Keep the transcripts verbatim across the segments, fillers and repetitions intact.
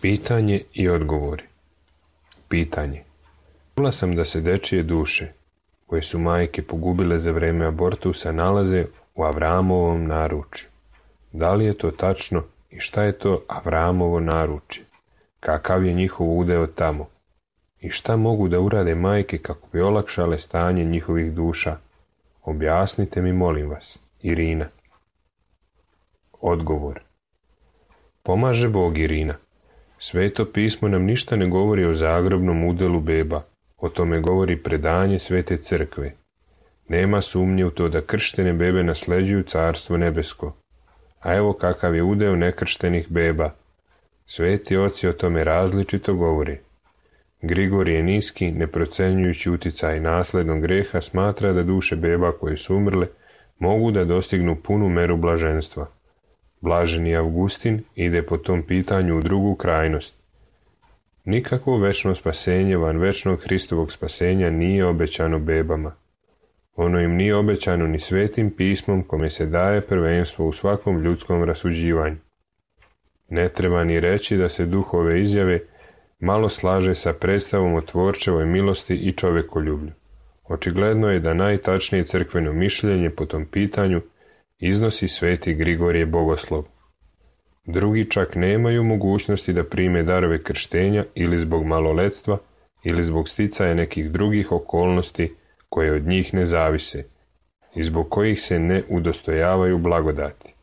Pitanje i odgovori. Pitanje. Čula sam da se dečije duše, koje su majke pogubile za vreme abortusa, nalaze u Avramovom naručju. Da li je to tačno i šta je to Avramovo naručje? Kakav je njihov udeo tamo? I šta mogu da urade majke kako bi olakšale stanje njihovih duša? Objasnite mi, molim vas. Irina. Odgovor. Pomaže Bog, Irina. Sveto pismo nam ništa ne govori o zagrobnom udelu beba. O tome govori predanje Svete crkve. Nema sumnje u to da krštene bebe nasleđuju carstvo nebesko. A evo kakav je udeo nekrštenih beba. Sveti oci o tome različito govori. Grigorije Niski, ne procenjujući uticaj naslednog greha, smatra da duše beba koje su umrle mogu da dostignu punu meru blaženstva. Blaženi Avgustin ide po tom pitanju u drugu krajnost. Nikakvo večno spasenje van večnog Hristovog spasenja nije obećano bebama. Ono im nije obećano ni svetim pismom kome se daje prvenstvo u svakom ljudskom rasuđivanju. Ne treba ni reći da se duh ove izjave malo slaže sa predstavom o tvorčevoj milosti i čovekoljublju. Očigledno je da najtačnije crkveno mišljenje po tom pitanju iznosi sveti Grigorije Bogoslov. Drugi čak nemaju mogućnosti da prime darove krštenja ili zbog maloletstva ili zbog sticaja nekih drugih okolnosti koje od njih ne zavise i zbog kojih se ne udostojavaju blagodati.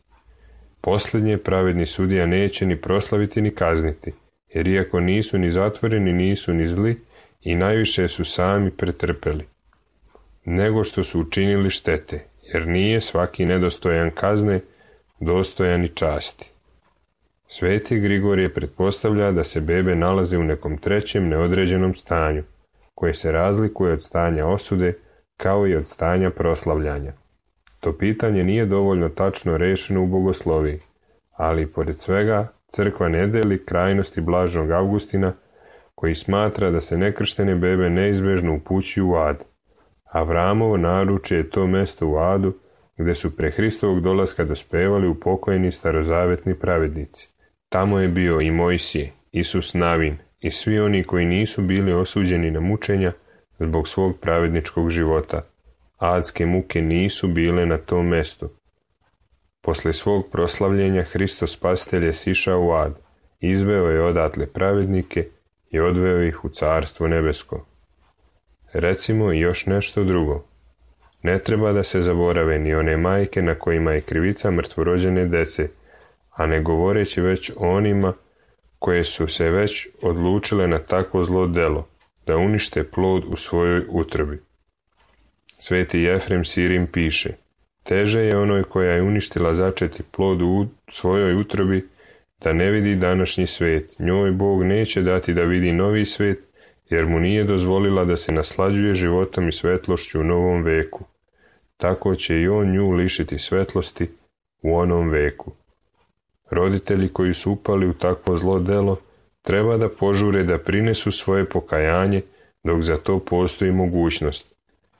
Posljednje pravedni sudija neće ni proslaviti ni kazniti, jer iako nisu ni zatvoreni, nisu ni zli i najviše su sami pretrpeli, nego što su učinili štete, jer nije svaki nedostojan kazne dostojan i časti. Sveti Grigorije pretpostavlja da se bebe nalaze u nekom trećem neodređenom stanju, koje se razlikuje od stanja osude kao i od stanja proslavljanja. To pitanje nije dovoljno tačno rešeno u bogosloviji, ali pored svega crkva ne deli krajnosti blaženog Avgustina, koji smatra da se nekrštene bebe neizbežno upućuju u ad. Avramovo naručje je to mesto u adu gde su pre Hristovog dolaska dospevali upokojeni starozavetni pravednici. Tamo je bio i Mojsije, Isus Navin i svi oni koji nisu bili osuđeni na mučenja zbog svog pravedničkog života. Adske muke nisu bile na tom mestu. Posle svog proslavljenja Hristos Spasitelj je sišao u ad, izveo je odatle pravednike i odveo ih u carstvo nebesko. Recimo i još nešto drugo. Ne treba da se zaborave ni one majke na kojima je krivica mrtvorođene dece, a ne govoreći već o onima koje su se već odlučile na takvo zlo delo, da unište plod u svojoj utrobi. Sveti Jefrem Sirim piše: teže je onoj koja je uništila začeti plod u svojoj utrobi da ne vidi današnji svet. Njoj Bog neće dati da vidi novi svet, jer mu nije dozvolila da se naslađuje životom i svetlošću u novom veku. Tako će i on nju lišiti svetlosti u onom veku. Roditelji koji su upali u takvo zlo delo treba da požure da prinesu svoje pokajanje dok za to postoji mogućnost,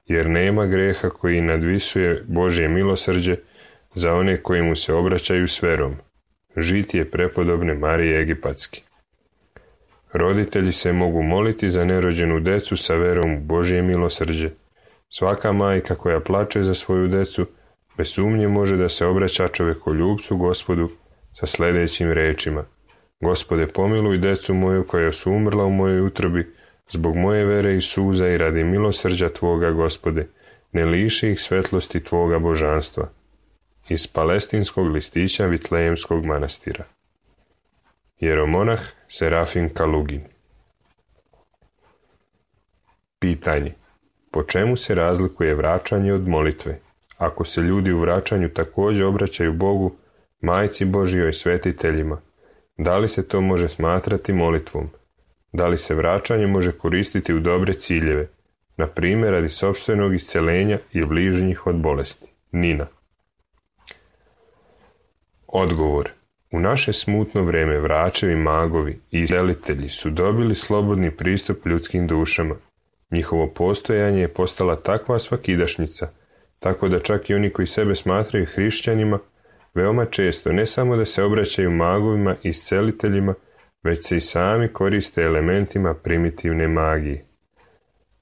jer nema greha koji nadvisuje Božje milosrđe za one koji mu se obraćaju s verom. Žitije prepodobne Marije Egipatske. Roditelji se mogu moliti za nerođenu decu sa verom u Božje milosrđe. Svaka majka koja plače za svoju decu bez sumnje može da se obraća čovekoljubcu Gospodu sa sljedećim rečima: Gospode, pomiluj decu moju koja su umrla u mojoj utrobi, zbog moje vere i suza i radi milosrđa Tvoga, Gospode, ne liši ih svetlosti Tvoga božanstva. Iz palestinskog listića Vitlejemskog manastira. Jeromonah Serafin Kalugin. Pitanje. Po čemu se razlikuje vraćanje od molitve? Ako se ljudi u vraćanju također obraćaju Bogu, Majci Božjoj, svetiteljima, da li se to može smatrati molitvom? Da li se vraćanje može koristiti u dobre ciljeve, na primjer radi sopstvenog isceljenja i bližnjih od bolesti? Nina. Odgovor. U naše smutno vreme vračevi, magovi i iscelitelji su dobili slobodni pristup ljudskim dušama. Njihovo postojanje je postala takva svakidašnjica, tako da čak i oni koji sebe smatraju hrišćanima, veoma često ne samo da se obraćaju magovima i isceliteljima, već se i sami koriste elementima primitivne magije.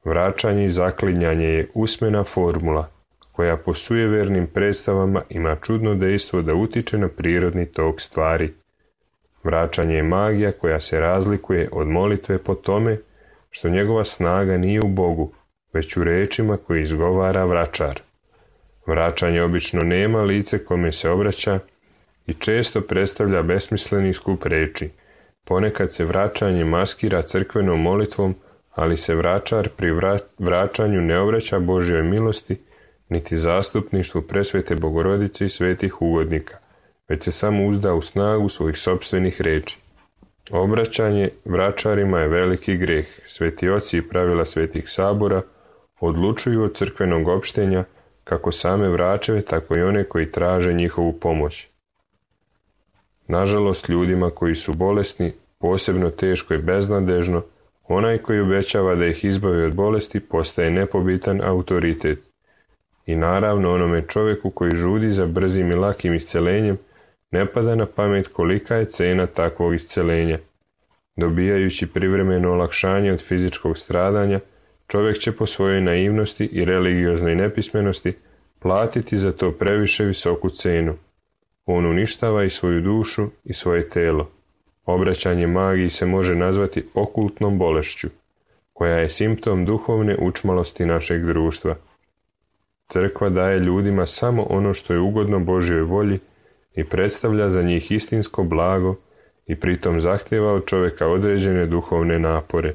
Vraćanje i zaklinjanje je usmena formula, koja po sujevernim predstavama ima čudno dejstvo da utiče na prirodni tok stvari. Vraćanje je magija koja se razlikuje od molitve po tome što njegova snaga nije u Bogu, već u rečima koje izgovara vračar. Vraćanje obično nema lice kome se obraća i često predstavlja besmisleni skup reči. Ponekad se vraćanje maskira crkvenom molitvom, ali se vračar pri vraćanju ne obraća Božjoj milosti, niti zastupništvu presvete Bogorodice i svetih ugodnika, već se samo uzda u snagu svojih sopstvenih reči. Obraćanje vračarima je veliki greh. Sveti oci i pravila svetih sabora odlučuju od crkvenog opštenja kako same vračeve, tako i one koji traže njihovu pomoć. Nažalost, ljudima koji su bolesni, posebno teško i beznadežno, onaj koji obećava da ih izbavi od bolesti postaje nepobitan autoritet. I naravno onome čovjeku koji žudi za brzim i lakim iscelenjem ne pada na pamet kolika je cena takvog iscelenja. Dobijajući privremeno olakšanje od fizičkog stradanja, čovjek će po svojoj naivnosti i religioznoj nepismenosti platiti za to previše visoku cenu. On uništava i svoju dušu i svoje telo. Obraćanje magiji se može nazvati okultnom bolešću, koja je simptom duhovne učmalosti našeg društva. Crkva daje ljudima samo ono što je ugodno Božjoj volji i predstavlja za njih istinsko blago i pritom zahtjeva od čovjeka određene duhovne napore.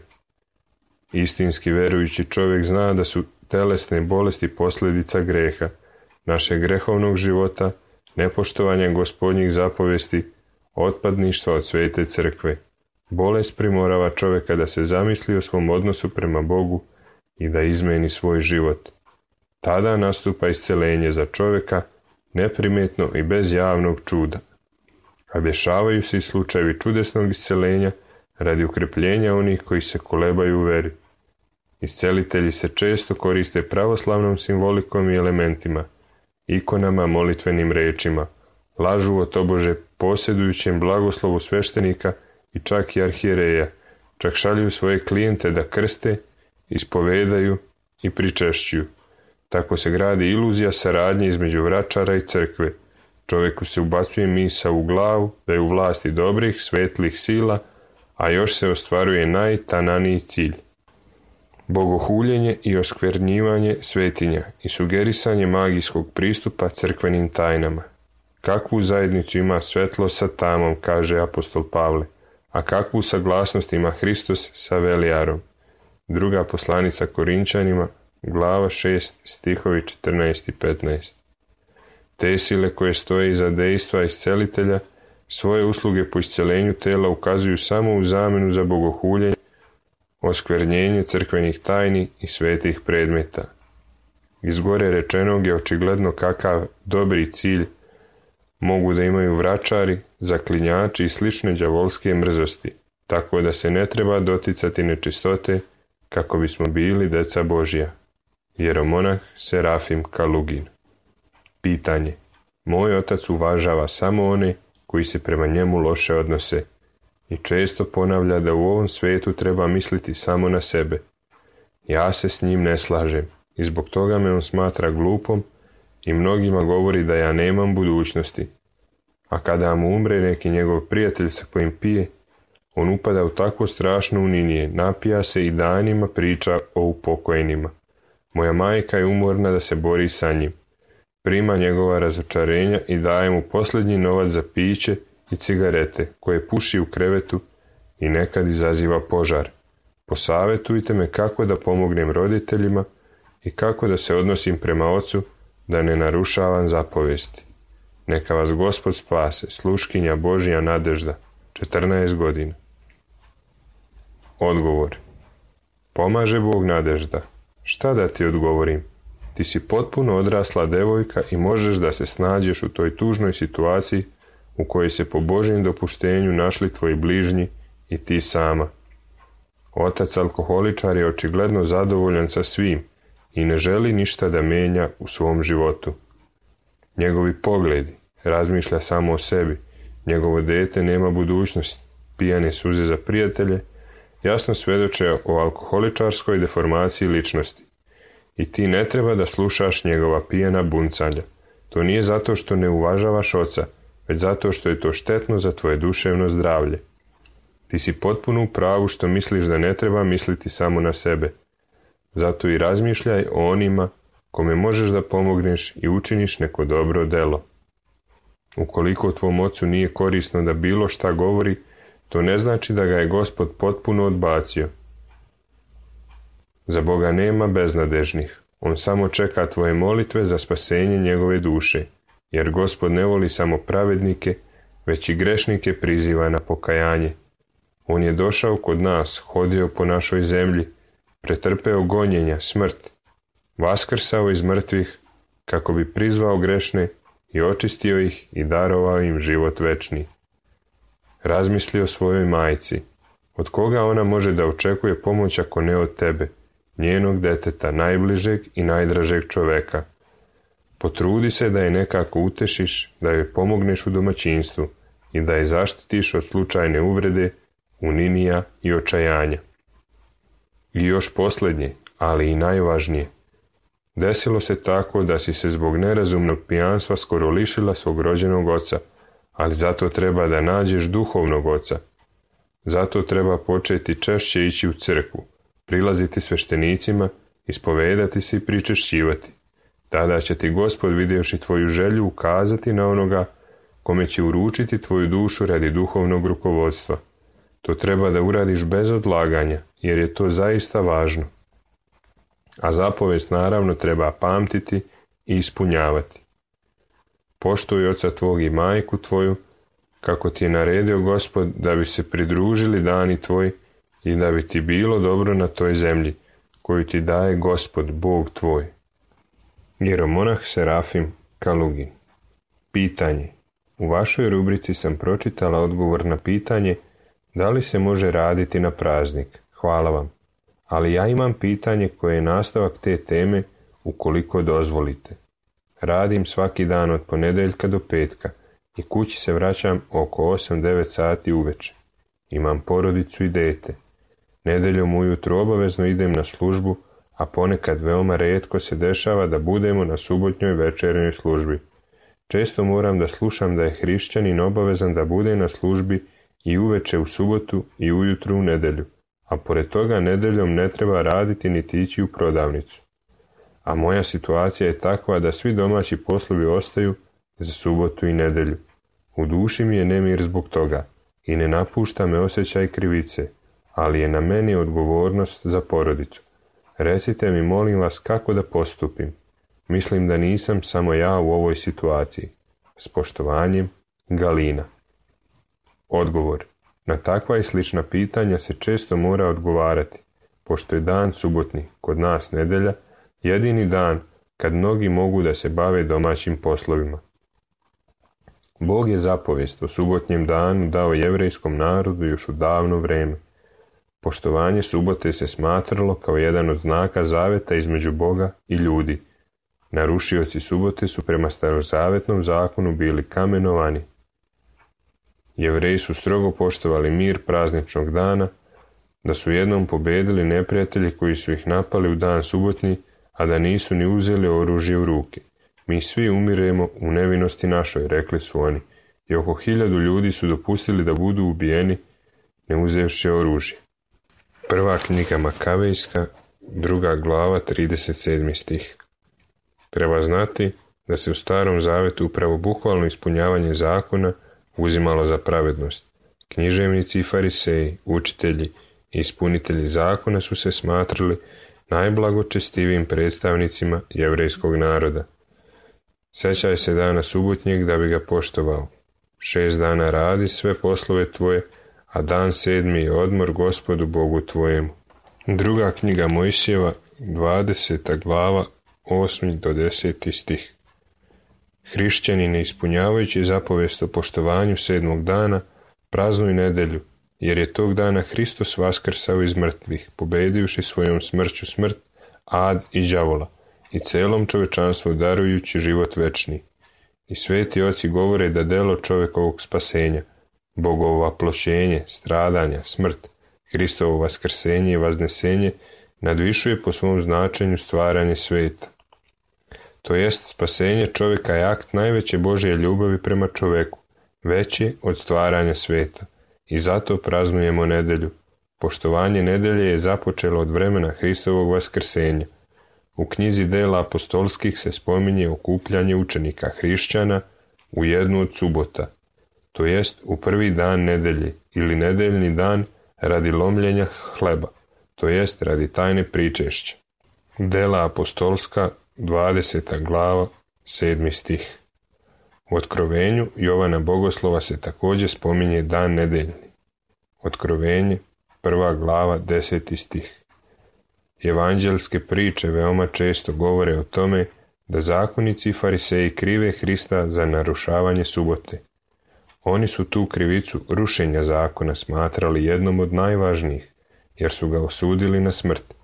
Istinski verujući čovjek zna da su telesne bolesti posljedica greha, našeg grehovnog života, nepoštovanja Gospodnjih zapovesti, otpadništva od svete crkve. Bolest primorava čovjeka da se zamisli o svom odnosu prema Bogu i da izmeni svoj život. Tada nastupa iscelenje za čovjeka, neprimjetno i bez javnog čuda. A dešavaju se i slučajevi čudesnog iscelenja radi ukrepljenja onih koji se kolebaju u veri. Iscelitelji se često koriste pravoslavnom simbolikom i elementima, ikonama, molitvenim rečima, lažu o tobože posjedujućem blagoslovu sveštenika i čak i arhijereja, čak šalju svoje klijente da krste, ispovedaju i pričešćuju. Tako se gradi iluzija saradnje između vračara i crkve. Čovjeku se ubacuje misao u glavu da je u vlasti dobrih, svetlih sila, a još se ostvaruje najtananiji cilj. Bogohuljenje i oskvernjivanje svetinja i sugerisanje magijskog pristupa crkvenim tajnama. Kakvu zajednicu ima svetlo sa tamom, kaže apostol Pavle, a kakvu saglasnost ima Hristos sa velijarom. Druga poslanica Korinčanima, glava šest, stihovi četrnaest i petnaest. Te sile koje stoje iza dejstva iscelitelja, svoje usluge po iscelenju tela ukazuju samo u zamenu za bogohuljenje, oskvernjenje crkvenih tajni i svetih predmeta. Iz gore rečenog je očigledno kakav dobri cilj mogu da imaju vračari, zaklinjači i slične đavolske mrzosti, tako da se ne treba doticati nečistote kako bismo bili deca Božja. Jeromonah Serafim Kalugin. Pitanje. Moj otac uvažava samo one koji se prema njemu loše odnose i često ponavlja da u ovom svijetu treba misliti samo na sebe. Ja se s njim ne slažem i zbog toga me on smatra glupom i mnogima govori da ja nemam budućnosti. A kada mu umre neki njegov prijatelj sa kojim pije, on upada u takvo strašno uninije, napija se i danima priča o upokojenima. Moja majka je umorna da se bori sa njim. Prima njegova razočarenja i daje mu posljednji novac za piće i cigarete, koje puši u krevetu i nekad izaziva požar. Posavjetujte me kako da pomognem roditeljima i kako da se odnosim prema ocu, da ne narušavam zapovesti. Neka vas Gospod spase, sluškinja Božja Nadežda, četrnaest godina. Odgovor. Pomaže Bog Nadežda. Šta da ti odgovorim? Ti si potpuno odrasla devojka i možeš da se snađeš u toj tužnoj situaciji u kojoj se po Božjem dopuštenju našli tvoji bližnji i ti sama. Otac alkoholičar je očigledno zadovoljan sa svim i ne želi ništa da menja u svom životu. Njegovi pogledi, razmišlja samo o sebi, njegovo dete nema budućnost, pijane suze za prijatelje, jasno svjedoče o alkoholičarskoj deformaciji ličnosti. I ti ne treba da slušaš njegova pijana buncanja. To nije zato što ne uvažavaš oca, već zato što je to štetno za tvoje duševno zdravlje. Ti si potpuno u pravu što misliš da ne treba misliti samo na sebe. Zato i razmišljaj o onima kome možeš da pomogneš i učiniš neko dobro delo. Ukoliko tvom ocu nije korisno da bilo šta govori, to ne znači da ga je Gospod potpuno odbacio. Za Boga nema beznadežnih. On samo čeka tvoje molitve za spasenje njegove duše, jer Gospod ne voli samo pravednike, već i grešnike priziva na pokajanje. On je došao kod nas, hodio po našoj zemlji, pretrpeo gonjenja, smrt, vaskrsao iz mrtvih, kako bi prizvao grešne i očistio ih i darovao im život večni. Razmisli o svojoj majci. Od koga ona može da očekuje pomoć ako ne od tebe, njenog deteta, najbližeg i najdražeg čoveka? Potrudi se da je nekako utešiš, da joj pomogneš u domaćinstvu i da je zaštitiš od slučajne uvrede, uninija i očajanja. I još posljednje, ali i najvažnije. Desilo se tako da si se zbog nerazumnog pijanstva skoro lišila svog rođenog oca, ali zato treba da nađeš duhovnog oca. Zato treba početi češće ići u crkvu, prilaziti sveštenicima, ispovedati se i pričešćivati. Tada će ti Gospod, vidjevši tvoju želju, ukazati na onoga kome će uručiti tvoju dušu radi duhovnog rukovodstva. To treba da uradiš bez odlaganja, jer je to zaista važno. A zapovest naravno treba pamtiti i ispunjavati. Poštuj oca tvog i majku tvoju, kako ti je naredio Gospod, da bi se pridružili dani tvoji i da bi ti bilo dobro na toj zemlji, koju ti daje Gospod, Bog tvoj. Jeromonah Serafim Kalugin. Pitanje. U vašoj rubrici sam pročitala odgovor na pitanje da li se može raditi na praznik. Hvala vam. Ali ja imam pitanje koje je nastavak te teme, ukoliko dozvolite. Radim svaki dan od ponedjeljka do petka i kući se vraćam oko osam devet sati uveče. Imam porodicu i dete. Nedeljom ujutro obavezno idem na službu, a ponekad veoma rijetko se dešava da budemo na subotnjoj večernjoj službi. Često moram da slušam da je hrišćanin obavezan da bude na službi i uveče u subotu i ujutru u nedelju, a pored toga nedeljom ne treba raditi niti ići u prodavnicu. A moja situacija je takva da svi domaći poslovi ostaju za subotu i nedelju. U duši mi je nemir zbog toga i ne napušta me osjećaj krivice, ali je na meni odgovornost za porodicu. Recite mi, molim vas, kako da postupim. Mislim da nisam samo ja u ovoj situaciji. S poštovanjem, Galina. Odgovor. Na takva i slična pitanja se često mora odgovarati, pošto je dan subotni, kod nas nedelja, jedini dan kad mnogi mogu da se bave domaćim poslovima. Bog je zapovijest o subotnjem danu dao jevrejskom narodu još u davno vrijeme. Poštovanje subote se smatralo kao jedan od znaka zaveta između Boga i ljudi. Narušioci subote su prema starozavetnom zakonu bili kamenovani. Jevreji su strogo poštovali mir prazničnog dana, da su jednom pobedili neprijatelji koji su ih napali u dan subotnji, a da nisu ni uzeli oružje u ruke. Mi svi umiremo u nevinosti našoj, rekli su oni, i oko hiljadu ljudi su dopustili da budu ubijeni, ne uzevši oružje. Prva knjiga Makavejska, druga glava, trideset sedmi stih. Treba znati da se u Starom zavetu upravo bukvalno ispunjavanje zakona uzimalo za pravednost. Književnici i fariseji, učitelji i ispunitelji zakona su se smatrali najblagočestivijim predstavnicima jevrejskog naroda. Sjećaj se dana subotnjeg da bi ga poštovao. Šest dana radi sve poslove tvoje, a dan sedmi je odmor Gospodu Bogu tvojemu. Druga knjiga Mojsijeva, dvadeseta glava, osmi do deseti stih. Hrišćani, ne ispunjavajući zapovijest o poštovanju sedmog dana, praznuj nedelju, jer je tog dana Hristos vaskrsao iz mrtvih, pobedivši svojom smrću smrt, ad i đavola, i celom čovečanstvu darujući život večni. I sveti oci govore da delo čovekovog spasenja, Bogovo vaplošenje, stradanja, smrt, Hristovo vaskrsenje i vaznesenje nadvišuje po svom značenju stvaranje sveta. To jest, spasenje čovjeka je akt najveće Božje ljubavi prema čoveku, veći od stvaranja sveta, i zato praznujemo nedelju. Poštovanje nedelje je započelo od vremena Hristovog vaskrsenja. U knjizi Dela apostolskih se spominje okupljanje učenika hrišćana u jednu od subota, to jest u prvi dan nedelje ili nedeljni dan radi lomljenja hleba, to jest radi tajne pričešća. Dela apostolska, dvadeseta glava, sedmi stih. U Otkrovenju Jovana Bogoslova se također spominje dan nedeljni. Otkrovenje, prva glava, deseti stih. Evanđelske priče veoma često govore o tome da zakonici i fariseji krive Hrista za narušavanje subote. Oni su tu krivicu rušenja zakona smatrali jednom od najvažnijih, jer su ga osudili na smrt.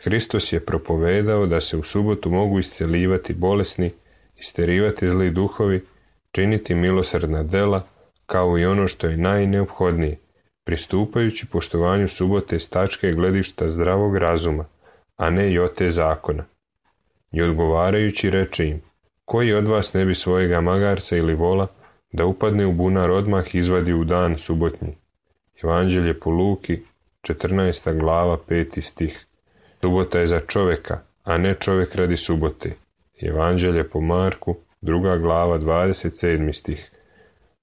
Hristos je propovedao da se u subotu mogu isceljivati bolesni, isterivati zli duhovi, činiti milosrdna dela, kao i ono što je najneophodnije, pristupajući poštovanju subote s tačke gledišta zdravog razuma, a ne jote zakona. I odgovarajući reče im, koji od vas ne bi svojega magarca ili vola da upadne u bunar odmah izvadi u dan subotnji. Evanđelje po Luki, četrnaesta glava, peti stih. Subota je za čovjeka, a ne čovjek radi subote. Evanđelje po Marku, druga glava, dvadeset sedmi stih.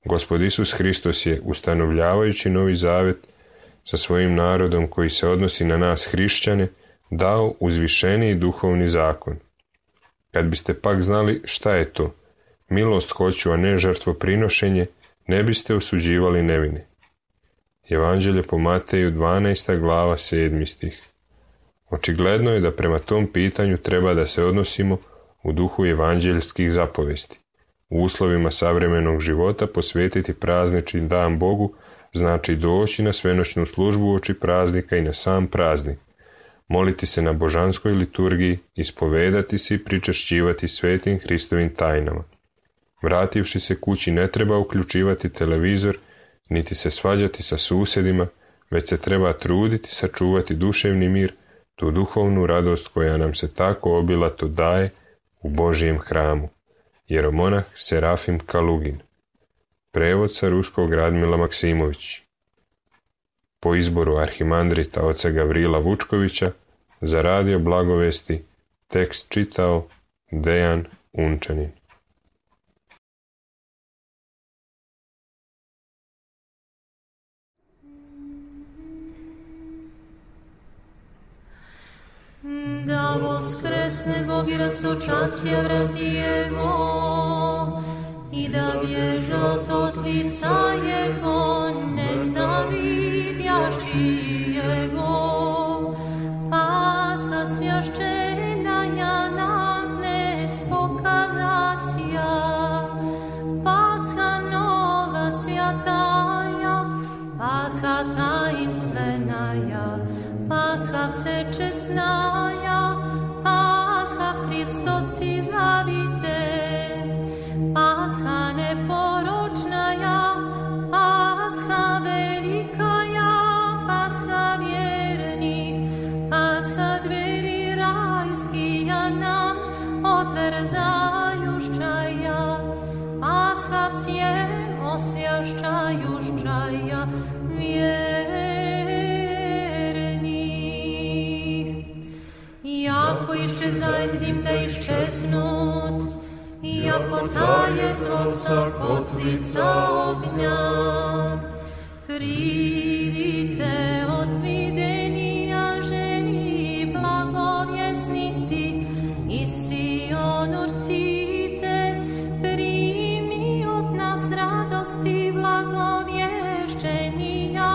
Gospod Isus Hristos je, ustanovljavajući novi zavet sa svojim narodom koji se odnosi na nas hrišćane, dao uzvišeniji duhovni zakon. Kad biste pak znali šta je to, milost hoću, a ne žrtvoprinošenje, ne biste osuđivali nevine. Evanđelje po Mateju, dvanaesta glava, sedmi stih. Očigledno je da prema tom pitanju treba da se odnosimo u duhu evanđeljskih zapovesti. U uslovima savremenog života posvetiti praznični dan Bogu znači doći na svenoćnu službu uoči praznika i na sam praznik, moliti se na božanskoj liturgiji, ispovedati se i pričešćivati svetim Hristovim tajnama. Vrativši se kući ne treba uključivati televizor, niti se svađati sa susjedima, već se treba truditi sačuvati duševni mir, tu duhovnu radost koja nam se tako obilato daje u Božjem hramu. Jeromonah Serafim Kalugin. Prevod sa ruskog Radmila Maksimović. Po izboru arhimandrita oca Gavrila Vučkovića, za radio Blagovesti, tekst čitao Dejan Unčanin. Da voskresne Bog i raztočacija vrazi Jego i da bježe od lica Jego nenavidjašći Jego. Pasha svjašćena ja nam ne spokazasja, Pasha nova svjataja, Pasha tajnstvenaja, Pasha всечесная, Pasha Hristos Izbavitelj, Pasha neporočnaja, Pasha velikaja, Pasha vjernih, Pasha dveri rajskija nam otvrzajušćaja, Pasha всем освящаjušćaja vjernih. Jako iščezajt dim da iščeznut, jako taje to sa kotlica ognja. Pridite otvidenija ženi blagovjesnici i Sion urcite, primi od nas radosti blagovješćenija,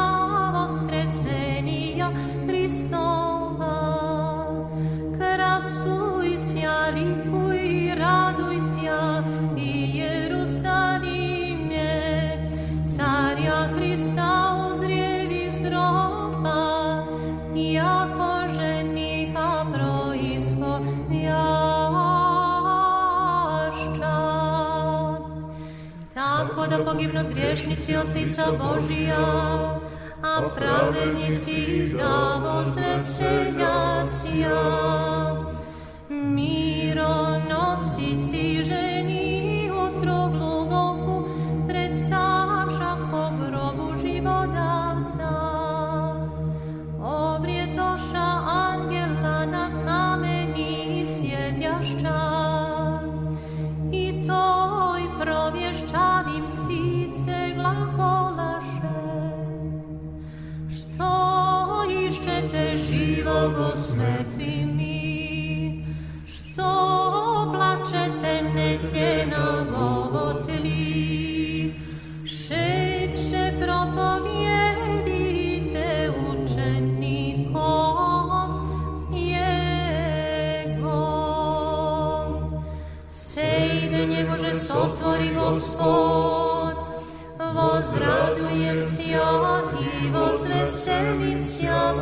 voskresenija Hristova. Krasuj sja, likuj, raduj sja i Jerusalimje, da pogignut griješnici od lica Božija, a pravednici da vozveseljacija. Mironosici ženi utro gluboku predstavša ko grobu živodavca. Obrjetoša angela na kameni sjedjašća i toj provješćavim sice glagolaše. Što iščete živogo s mrtvimi? Što plačete netljena govotli? Šeće propovijedite učenikom Jego. Sejde njegože sotvori Gospod, vozradujem sja i vozveselim sja